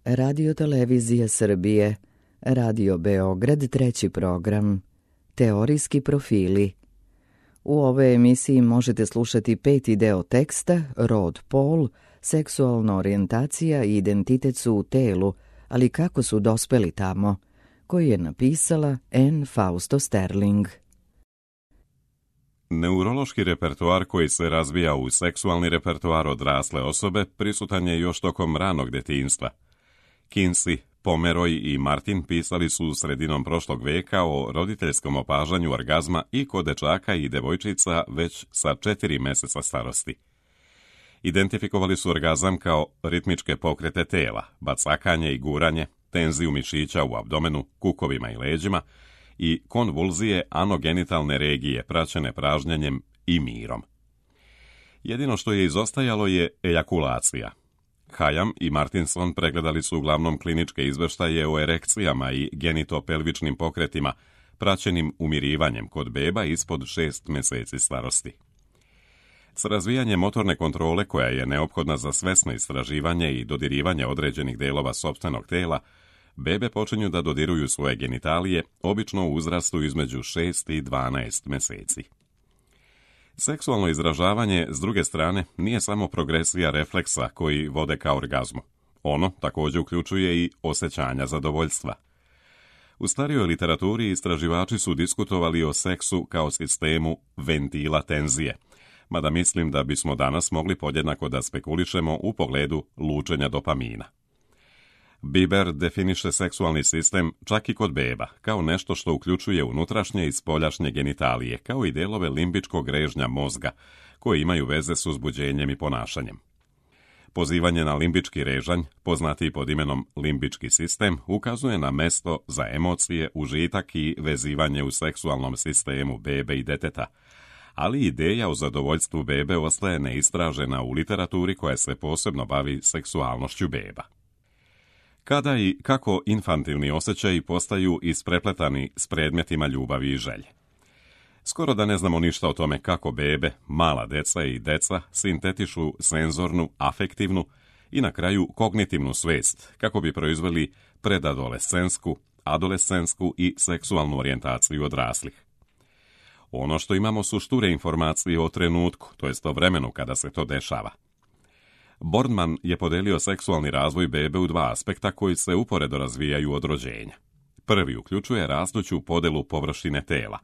Radio Televizije Srbije, Radio Beograd, treći program, Teorijski profili. U ovoj emisiji možete slušati 5. deo teksta, rod, pol, seksualna orijentacija i identitet su u telu, ali kako su dospeli tamo, koji je napisala Anne Fausto Sterling. Neurološki repertoar koji se razvija u seksualni repertoar odrasle osobe prisutan je još tokom ranog detinjstva. Kinsey, Pomeroy i Martin pisali su sredinom prošlog veka o roditeljskom opažanju orgazma i kod dečaka i devojčica već sa 4 meseca starosti. Identifikovali su orgazam kao ritmičke pokrete tela, bacakanje i guranje, tenziju mišića u abdomenu, kukovima i leđima i konvulzije anogenitalne regije praćene pražnjenjem i mirom. Jedino što je izostajalo je ejakulacija. Hayam i Martinson pregledali su uglavnom kliničke izveštaje o erekcijama i genitopelvičnim pokretima praćenim umirivanjem kod beba ispod 6 meseci starosti. S razvijanjem motorne kontrole koja je neophodna za svesno istraživanje i dodirivanje određenih delova sopstvenog tela, bebe počinju da dodiruju svoje genitalije, obično u uzrastu između 6 i 12 meseci. Seksualno izražavanje, s druge strane, nije samo progresija refleksa koji vode ka orgazmu. Ono također uključuje i osjećanja zadovoljstva. U starijoj literaturi istraživači su diskutovali o seksu kao sistemu ventila tenzije, mada mislim da bismo danas mogli podjednako da spekulišemo u pogledu lučenja dopamina. Biber definiše seksualni sistem čak i kod beba, kao nešto što uključuje unutrašnje i spoljašnje genitalije, kao i delove limbičkog režnja mozga, koji imaju veze s uzbuđenjem i ponašanjem. Pozivanje na limbički režanj, poznati pod imenom limbički sistem, ukazuje na mesto za emocije, užitak i vezivanje u seksualnom sistemu bebe i deteta, ali ideja o zadovoljstvu bebe ostaje neistražena u literaturi koja se posebno bavi seksualnošću beba. Kada i kako infantilni osjećaji postaju isprepletani s predmetima ljubavi i želje. Skoro da ne znamo ništa o tome kako bebe, mala deca i deca sintetišu senzornu, afektivnu i na kraju kognitivnu svest kako bi proizveli predadolescensku, adolescentsku i seksualnu orijentaciju odraslih. Ono što imamo su šture informacije o trenutku, to jest o vremenu kada se to dešava. Bornman je podelio seksualni razvoj bebe u 2 aspekta koji se uporedo razvijaju od rođenja. Prvi uključuje rastuću podelu površine tela,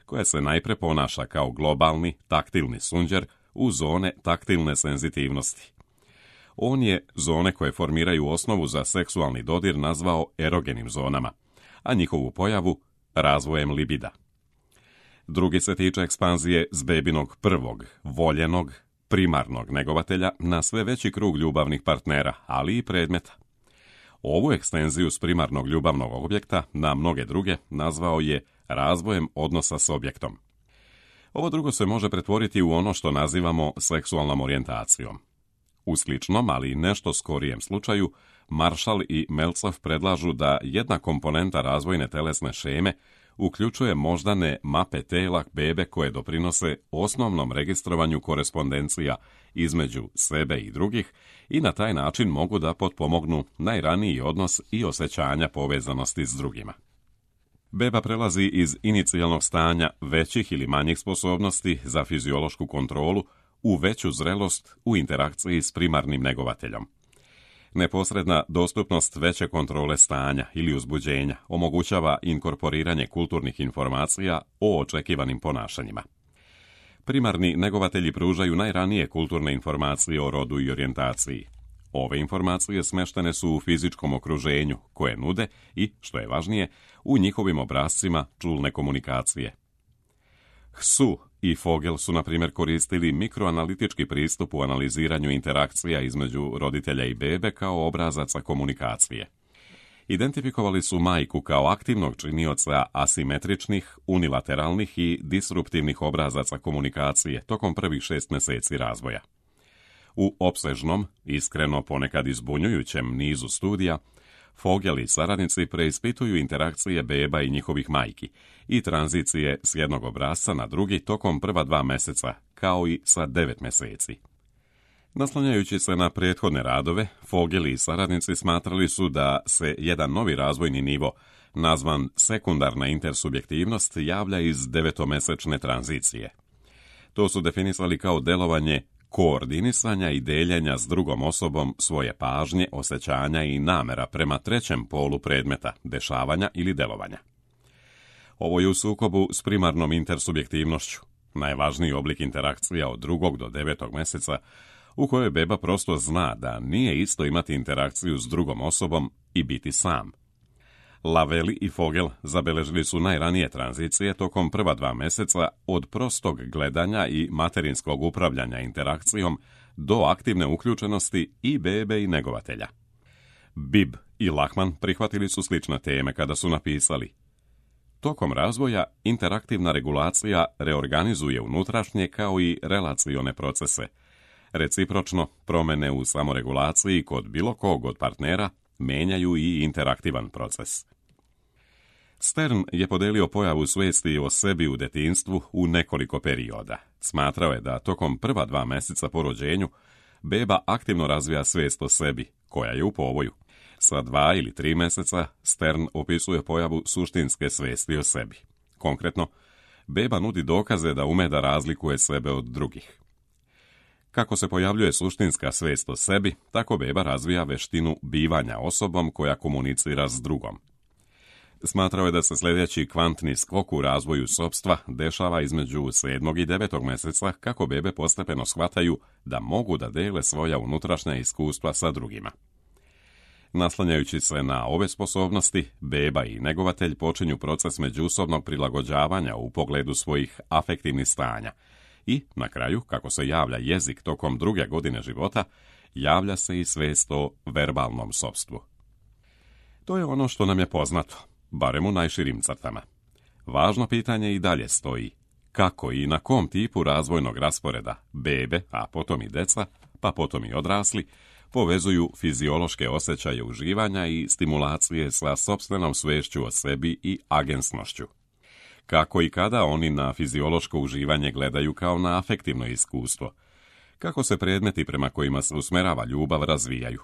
koja se najpre ponaša kao globalni, taktilni sunđer u zone taktilne senzitivnosti. On je zone koje formiraju osnovu za seksualni dodir nazvao erogenim zonama, a njihovu pojavu razvojem libida. Drugi se tiče ekspanzije s bebinog prvog, voljenog, primarnog negovatelja na sve veći krug ljubavnih partnera, ali i predmeta. Ovu ekstenziju s primarnog ljubavnog objekta na mnoge druge nazvao je razvojem odnosa s objektom. Ovo drugo se može pretvoriti u ono što nazivamo seksualnom orijentacijom. U sličnom, ali nešto skorijem slučaju, Marshall i Meltzoff predlažu da jedna komponenta razvojne telesne šeme uključuje moždane mape tela bebe koje doprinose osnovnom registrovanju korespondencija između sebe i drugih i na taj način mogu da potpomognu najraniji odnos i osjećanja povezanosti s drugima. Beba prelazi iz inicijalnog stanja većih ili manjih sposobnosti za fiziološku kontrolu u veću zrelost u interakciji s primarnim negovateljom. Neposredna dostupnost veće kontrole stanja ili uzbuđenja omogućava inkorporiranje kulturnih informacija o očekivanim ponašanjima. Primarni negovatelji pružaju najranije kulturne informacije o rodu i orijentaciji. Ove informacije smeštene su u fizičkom okruženju koje nude i, što je važnije, u njihovim obrascima čulne komunikacije. Hsu i Fogel su, na primjer, koristili mikroanalitički pristup u analiziranju interakcija između roditelja i bebe kao obrazaca komunikacije. Identifikovali su majku kao aktivnog činioca asimetričnih, unilateralnih i disruptivnih obrazaca komunikacije tokom prvih 6 meseci razvoja. U opsežnom, iskreno ponekad izbunjujućem nizu studija, Fogel i saradnici preispituju interakcije beba i njihovih majki i tranzicije s jednog obrasca na drugi tokom prva 2 meseca, kao i sa 9 meseci. Naslanjajući se na prethodne radove, Fogel i saradnici smatrali su da se jedan novi razvojni nivo, nazvan sekundarna intersubjektivnost, javlja iz devetomesečne tranzicije. To su definisali kao delovanje koordinisanja i deljenja s drugom osobom svoje pažnje, osjećanja i namera prema trećem polu predmeta, dešavanja ili delovanja. Ovo je u sukobu s primarnom intersubjektivnošću, najvažniji oblik interakcija od 2. do 9. mjeseca, u kojoj beba prosto zna da nije isto imati interakciju s drugom osobom i biti sam. Laveli i Fogel zabeležili su najranije tranzicije tokom prva 2 mjeseca od prostog gledanja i materinskog upravljanja interakcijom do aktivne uključenosti i bebe i negovatelja. Bibb i Lachman prihvatili su slične teme kada su napisali: tokom razvoja interaktivna regulacija reorganizuje unutrašnje kao i relacione procese. Recipročno, promjene u samoregulaciji kod bilo kog od partnera menjaju i interaktivan proces. Stern je podelio pojavu svijesti o sebi u detinjstvu u nekoliko perioda. Smatrao je da tokom prva 2 mjeseca po rođenju beba aktivno razvija svijest o sebi, koja je u povoju. Sa 2 ili 3 mjeseca Stern opisuje pojavu suštinske svijesti o sebi. Konkretno, beba nudi dokaze da ume da razlikuje sebe od drugih. Kako se pojavljuje suštinska svijest o sebi, tako beba razvija veštinu bivanja osobom koja komunicira s drugom. Smatrao je da se sljedeći kvantni skok u razvoju sopstva dešava između 7. i 9. mjeseca, kako bebe postepeno shvataju da mogu da dele svoja unutrašnja iskustva sa drugima. Naslanjajući se na ove sposobnosti, beba i negovatelj počinju proces međusobnog prilagođavanja u pogledu svojih afektivnih stanja i, na kraju, kako se javlja jezik tokom 2. godine života, javlja se i svijest o verbalnom sopstvu. To je ono što nam je poznato, barem u najširim crtama. Važno pitanje i dalje stoji: kako i na kom tipu razvojnog rasporeda bebe, a potom i deca, pa potom i odrasli, povezuju fiziološke osjećaje uživanja i stimulacije sa sopstvenom sviješću o sebi i agensnošću. Kako i kada oni na fiziološko uživanje gledaju kao na afektivno iskustvo. Kako se predmeti prema kojima se usmerava ljubav razvijaju.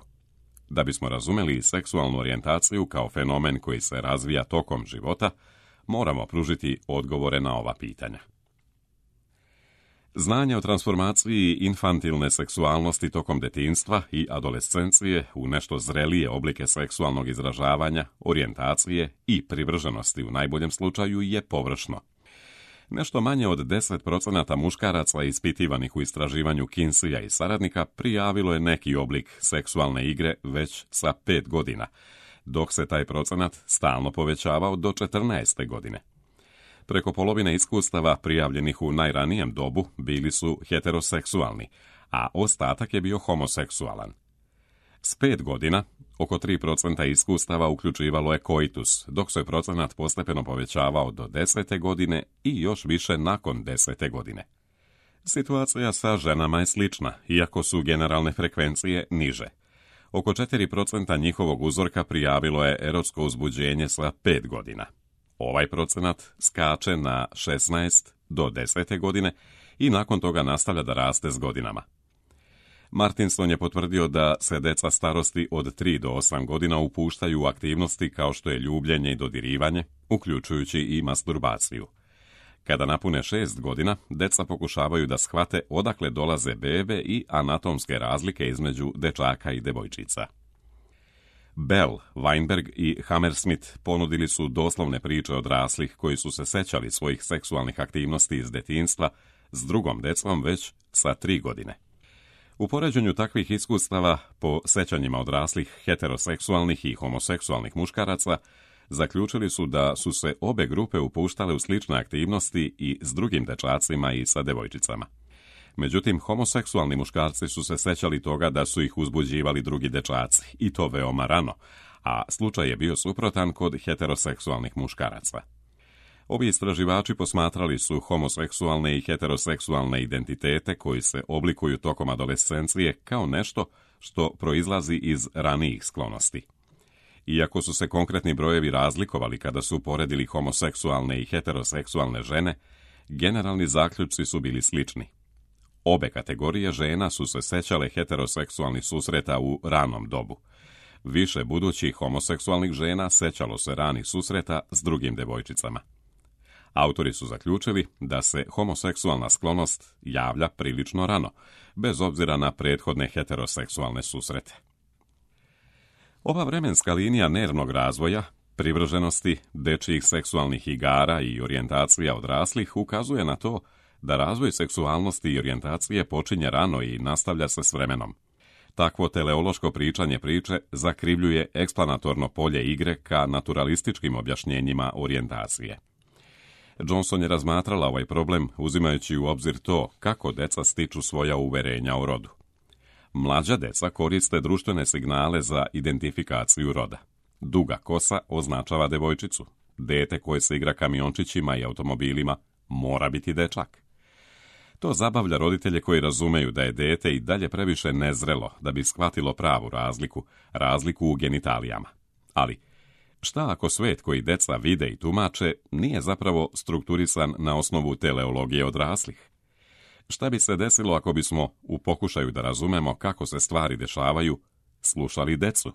Da bismo razumjeli seksualnu orijentaciju kao fenomen koji se razvija tokom života, moramo pružiti odgovore na ova pitanja. Znanje o transformaciji infantilne seksualnosti tokom detinjstva i adolescencije u nešto zrelije oblike seksualnog izražavanja, orijentacije i privrženosti u najboljem slučaju je površno. Nešto manje od 10% muškaraca ispitivanih u istraživanju Kinseya i saradnika prijavilo je neki oblik seksualne igre već sa 5 godina, dok se taj procenat stalno povećavao do 14. godine. Preko polovine iskustava prijavljenih u najranijem dobu bili su heteroseksualni, a ostatak je bio homoseksualan. S 5 godina, oko 3% iskustava uključivalo je koitus, dok se procenat postepeno povećavao do 10. godine i još više nakon 10. godine. Situacija sa ženama je slična, iako su generalne frekvencije niže. Oko 4% njihovog uzorka prijavilo je erotsko uzbuđenje sa 5 godina. Ovaj procenat skače na 16 do 10. godine i nakon toga nastavlja da raste s godinama. Martinson je potvrdio da se deca starosti od 3 do 8 godina upuštaju u aktivnosti kao što je ljubljenje i dodirivanje, uključujući i masturbaciju. Kada napune 6 godina, deca pokušavaju da shvate odakle dolaze bebe i anatomske razlike između dečaka i devojčica. Bell, Weinberg i Hammersmith ponudili su doslovne priče odraslih koji su se sećali svojih seksualnih aktivnosti iz detinjstva s drugom decom već sa 3 godine. U poređenju takvih iskustava po sećanjima odraslih heteroseksualnih i homoseksualnih muškaraca zaključili su da su se obe grupe upuštale u slične aktivnosti i s drugim dečacima i sa devojčicama. Međutim, homoseksualni muškarci su se sećali toga da su ih uzbuđivali drugi dečaci, i to veoma rano, a slučaj je bio suprotan kod heteroseksualnih muškaraca. Ovi istraživači posmatrali su homoseksualne i heteroseksualne identitete koji se oblikuju tokom adolescencije kao nešto što proizlazi iz ranijih sklonosti. Iako su se konkretni brojevi razlikovali kada su poredili homoseksualne i heteroseksualne žene, generalni zaključci su bili slični. Obe kategorije žena su se sećale heteroseksualnih susreta u ranom dobu. Više budućih homoseksualnih žena sećalo se ranih susreta s drugim devojčicama. Autori su zaključili da se homoseksualna sklonost javlja prilično rano, bez obzira na prethodne heteroseksualne susrete. Ova vremenska linija nervnog razvoja, privrženosti, dečjih seksualnih igara i orijentacija odraslih ukazuje na to da razvoj seksualnosti i orijentacije počinje rano i nastavlja se s vremenom. Takvo teleološko pričanje priče zakrivljuje eksplanatorno polje igre ka naturalističkim objašnjenjima orijentacije. Johnson je razmatrala ovaj problem uzimajući u obzir to kako deca stiču svoja uverenja o rodu. Mlađa deca koriste društvene signale za identifikaciju roda. Duga kosa označava devojčicu. Dete koje se igra kamiončićima i automobilima mora biti dečak. To zabavlja roditelje koji razumeju da je dete i dalje previše nezrelo da bi shvatilo pravu razliku u genitalijama. Ali, šta ako svet koji deca vide i tumače nije zapravo strukturisan na osnovu teleologije odraslih? Šta bi se desilo ako bismo, u pokušaju da razumemo kako se stvari dešavaju, slušali decu?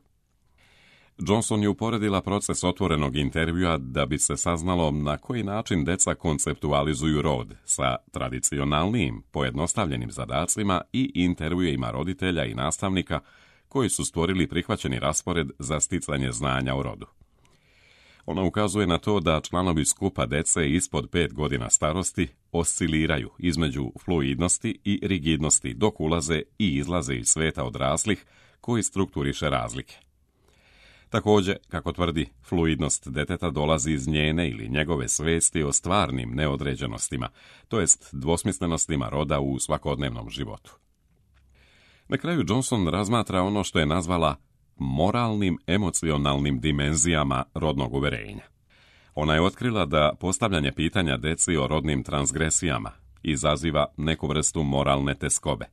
Johnson je uporedila proces otvorenog intervjua da bi se saznalo na koji način deca konceptualizuju rod sa tradicionalnim, pojednostavljenim zadacima i intervjuima roditelja i nastavnika koji su stvorili prihvaćeni raspored za sticanje znanja o rodu. Ona ukazuje na to da članovi skupa dece ispod 5 godina starosti osciliraju između fluidnosti i rigidnosti dok ulaze i izlaze iz sveta odraslih koji strukturiše razlike. Također, kako tvrdi, fluidnost deteta dolazi iz njene ili njegove svesti o stvarnim neodređenostima, to jest dvosmislenostima roda u svakodnevnom životu. Na kraju Johnson razmatra ono što je nazvala moralnim emocionalnim dimenzijama rodnog uverenja. Ona je otkrila da postavljanje pitanja deci o rodnim transgresijama izaziva neku vrstu moralne teskobe.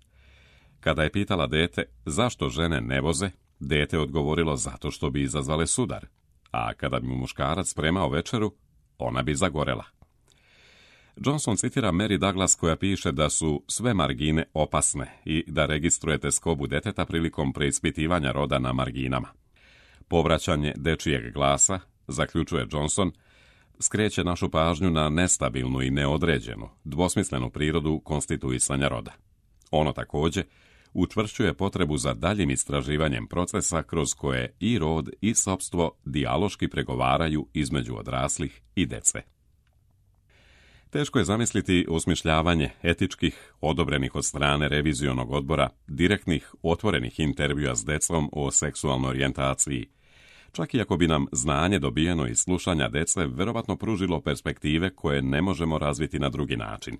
Kada je pitala dete zašto žene ne voze, dete odgovorilo zato što bi izazvale sudar, a kada bi mu muškarac spremao večeru, ona bi zagorela. Johnson citira Mary Douglas koja piše da su sve margine opasne i da registruje teskobu deteta prilikom preispitivanja roda na marginama. Povraćanje dečijeg glasa, zaključuje Johnson, skreće našu pažnju na nestabilnu i neodređenu, dvosmislenu prirodu konstituisanja roda. Ono također učvršćuje potrebu za daljim istraživanjem procesa kroz koje i rod i sopstvo dijaloški pregovaraju između odraslih i dece. Teško je zamisliti osmišljavanje etičkih, odobrenih od strane revizionog odbora, direktnih, otvorenih intervjua s decom o seksualnoj orijentaciji, čak i ako bi nam znanje dobijeno iz slušanja dece verovatno pružilo perspektive koje ne možemo razviti na drugi način.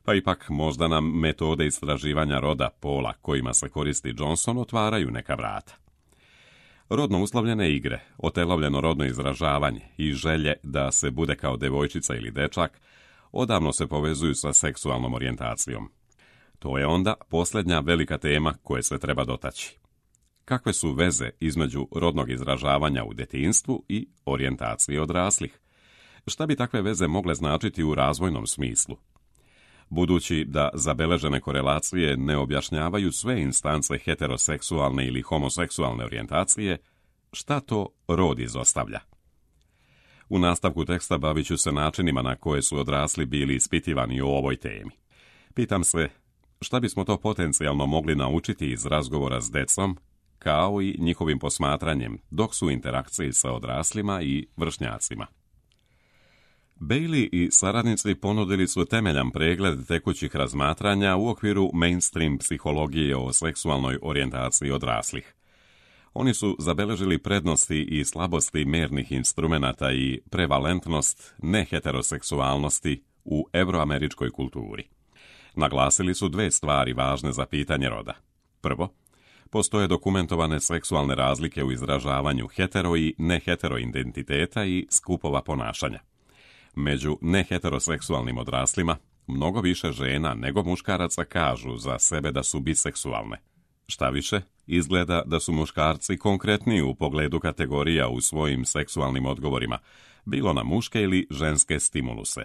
Pa ipak možda nam metode istraživanja roda pola kojima se koristi Johnson otvaraju neka vrata. Rodno uslovljene igre, otelovljeno rodno izražavanje i želje da se bude kao devojčica ili dečak odavno se povezuju sa seksualnom orijentacijom. To je onda posljednja velika tema koje se treba dotaći. Kakve su veze između rodnog izražavanja u detinjstvu i orijentacije odraslih? Šta bi takve veze mogle značiti u razvojnom smislu? Budući da zabeležene korelacije ne objašnjavaju sve instance heteroseksualne ili homoseksualne orijentacije, šta to rod izostavlja? U nastavku teksta bavit ću se načinima na koje su odrasli bili ispitivani o ovoj temi. Pitam se, šta bismo to potencijalno mogli naučiti iz razgovora s decom, kao i njihovim posmatranjem dok su u interakciji sa odraslima i vršnjacima. Bailey i saradnici ponudili su temeljan pregled tekućih razmatranja u okviru mainstream psihologije o seksualnoj orijentaciji odraslih. Oni su zabeležili prednosti i slabosti mernih instrumenata i prevalentnost neheteroseksualnosti u evroameričkoj kulturi. Naglasili su dve stvari važne za pitanje roda. Prvo, postoje dokumentovane seksualne razlike u izražavanju hetero i nehetero identiteta i skupova ponašanja. Među neheteroseksualnim odraslima, mnogo više žena nego muškaraca kažu za sebe da su biseksualne. Šta više, izgleda da su muškarci konkretniji u pogledu kategorija u svojim seksualnim odgovorima, bilo na muške ili ženske stimuluse.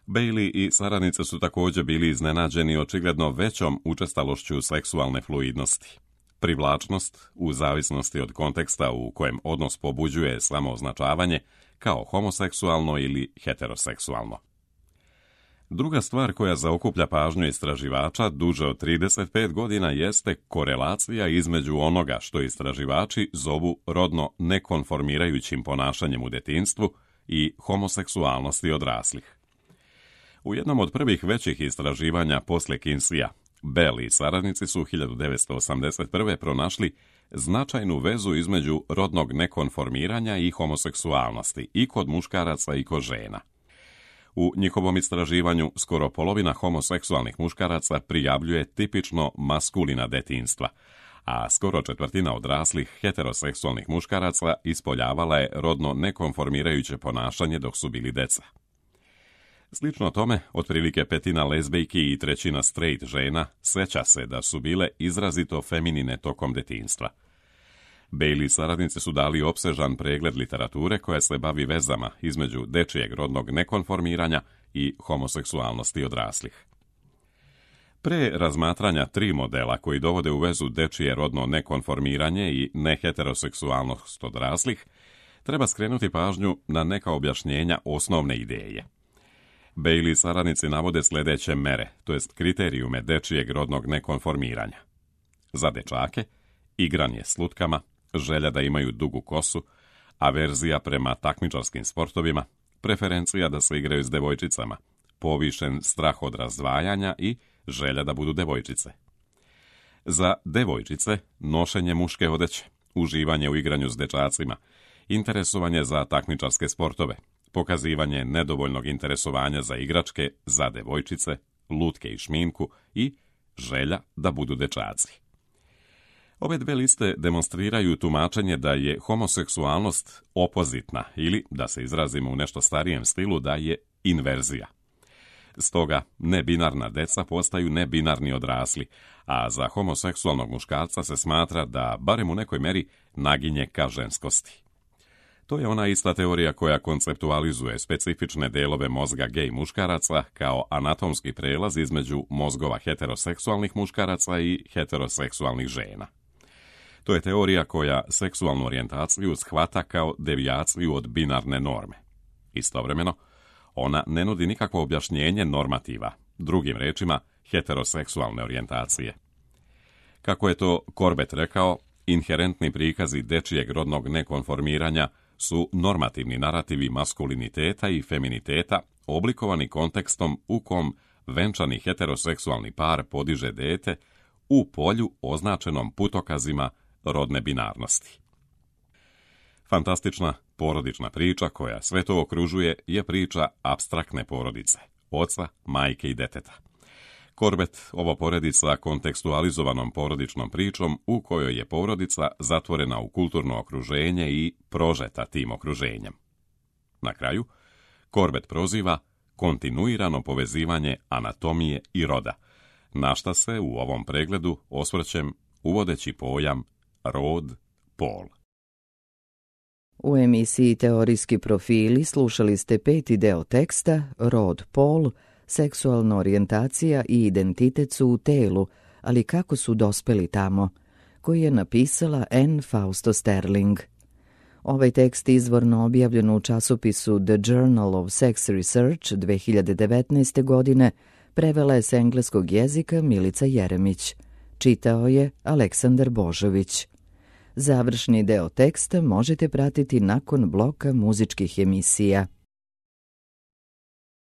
Bailey i saradnice su također bili iznenađeni očigledno većom učestalošću seksualne fluidnosti. Privlačnost, u zavisnosti od konteksta u kojem odnos pobuđuje samooznačavanje, kao homoseksualno ili heteroseksualno. Druga stvar koja zaokuplja pažnju istraživača duže od 35 godina jeste korelacija između onoga što istraživači zovu rodno nekonformirajućim ponašanjem u detinjstvu i homoseksualnosti odraslih. U jednom od prvih većih istraživanja poslije Kinseya, Bell i saradnici su 1981. pronašli značajnu vezu između rodnog nekonformiranja i homoseksualnosti i kod muškaraca i kod žena. U njihovom istraživanju skoro polovina homoseksualnih muškaraca prijavljuje tipično maskulina detinjstva, a skoro četvrtina odraslih heteroseksualnih muškaraca ispoljavala je rodno nekonformirajuće ponašanje dok su bili deca. Slično tome, otprilike petina lezbejki i trećina straight žena seća se da su bile izrazito feminine tokom detinjstva. Bailey saradnici su dali opsežan pregled literature koja se bavi vezama između dečijeg rodnog nekonformiranja i homoseksualnosti odraslih. Pre razmatranja 3 modela koji dovode u vezu dečije rodno nekonformiranje i neheteroseksualnost odraslih, treba skrenuti pažnju na neka objašnjenja osnovne ideje. Bailey saradnici navode sljedeće mere, to jest kriterijume dečijeg rodnog nekonformiranja. Za dečake, igranje s lutkama, želja da imaju dugu kosu, averzija prema takmičarskim sportovima, preferencija da se igraju s devojčicama, povišen strah od razdvajanja i želja da budu devojčice. Za devojčice, nošenje muške odeće, uživanje u igranju s dečacima, interesovanje za takmičarske sportove, pokazivanje nedovoljnog interesovanja za igračke, za devojčice, lutke i šminku i želja da budu dečaci. Ove 2 liste demonstriraju tumačenje da je homoseksualnost opozitna ili, da se izrazimo u nešto starijem stilu, da je inverzija. Stoga, nebinarna deca postaju nebinarni odrasli, a za homoseksualnog muškarca se smatra da, barem u nekoj meri, naginje ka ženskosti. To je ona ista teorija koja konceptualizuje specifične delove mozga gej muškaraca kao anatomski prelaz između mozgova heteroseksualnih muškaraca i heteroseksualnih žena. To je teorija koja seksualnu orijentaciju shvata kao devijaciju od binarne norme. Istovremeno, ona ne nudi nikakvo objašnjenje normativa, drugim rečima heteroseksualne orijentacije. Kako je to Corbett rekao, inherentni prikazi dečijeg rodnog nekonformiranja su normativni narativi maskuliniteta i feminiteta oblikovani kontekstom u kom venčani heteroseksualni par podiže dete u polju označenom putokazima rodne binarnosti. Fantastična porodična priča koja sve to okružuje je priča apstraktne porodice, oca, majke i deteta. Corbett ovo poredi sa kontekstualizovanom porodičnom pričom u kojoj je porodica zatvorena u kulturno okruženje i prožeta tim okruženjem. Na kraju, Corbett proziva kontinuirano povezivanje anatomije i roda, na šta se u ovom pregledu osvrćem uvodeći pojam rod, pol. U emisiji Teorijski profili slušali ste 5. deo teksta Rod, pol, seksualna orijentacija i identitet su u telu, ali kako su dospeli tamo, koji je napisala Anne Fausto Sterling. Ovaj tekst izvorno objavljen u časopisu The Journal of Sex Research 2019. godine prevela je s engleskog jezika Milica Jeremić. Čitao je Aleksandar Božović. Završni deo teksta možete pratiti nakon bloka muzičkih emisija.